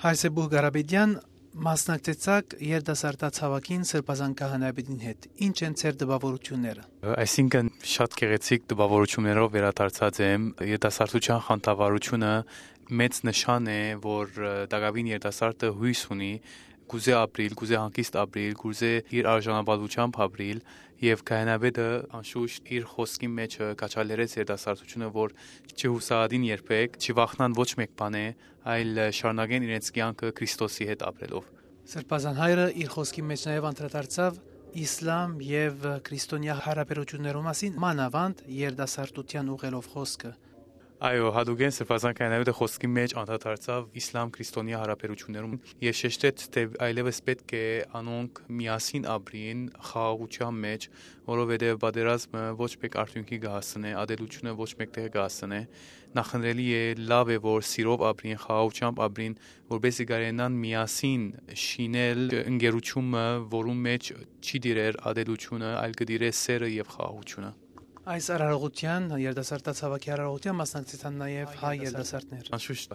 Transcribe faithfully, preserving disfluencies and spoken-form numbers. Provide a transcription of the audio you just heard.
Հայրսեբուհ Կարապետեան, մասնակցեցաք երիտասարդաց հաւաքին Սրբազան քահանայապետին հետ։ Ի՞նչ են ձեր տպաւորութիւնները։ Այսինքն, շատ գեղեցիկ տպաւորութիւններով վերադարձած եմ։ Երիտասարդութեան խանդավառութիւնը մեծ նշան է, որ, ը, տակաւին երիտասարդը յոյս ունի, կուզէ ապրիլ, կուզէ հանգիստ ապրիլ, կուզէ իր արժանապատուությամբ ապրիլ, եւ քահանայապետը անշուշտ իր խօսքին մէջ, ը, քաջալերեց երիտասարդութիւնը, որ չի յուսահատին երբեք, չի վախնան ոչ մէկ բանէ, այլ, ը, շարունակեն իրենց կեանքը Քրիստոսի հետ ապրելով։ Սրբազան հայրը իր խօսքին մէջ նաեւ անդրադարձաւ իսլամ եւ, ը, քրիստոնեայ յարաբերութիւններու մասին, մանաւանդ երիտասարդութեան ուղղելով խօսքը։ Այո, յատուկէն Սրբազան քահանայապետը խօսքին մէջ անդրադարձաւ իսլամ-քրիստոնեայ յարաբերութիւններուն եւ շեշտեց, թէ այլեւս պէտք է անոնք միասին ապրին խաղաղութեան մէջ, որովհետեւ պատերազմը ոչ մէկ արդիւնքի կը հասցնէ, ատելությունը ոչ մէկ տեղ կը հասցնէ։ Նախընտրելի է, լաւ է, որ սիրով ապրին, խաղաղութեամբ ապրին, որպեսզի կարենան միասին շինել ընկերութիւնը, որուն մէջ չի տիրեր ատելությունը, այլ կը տիրէ սերը եւ խաղաղութիւնը։ Այս արարողութեան, երիտասարդաց հաւաքի արարողութեան մասնակցեցան նաեւ հայ երիտասարդներ։ Անշուշտ,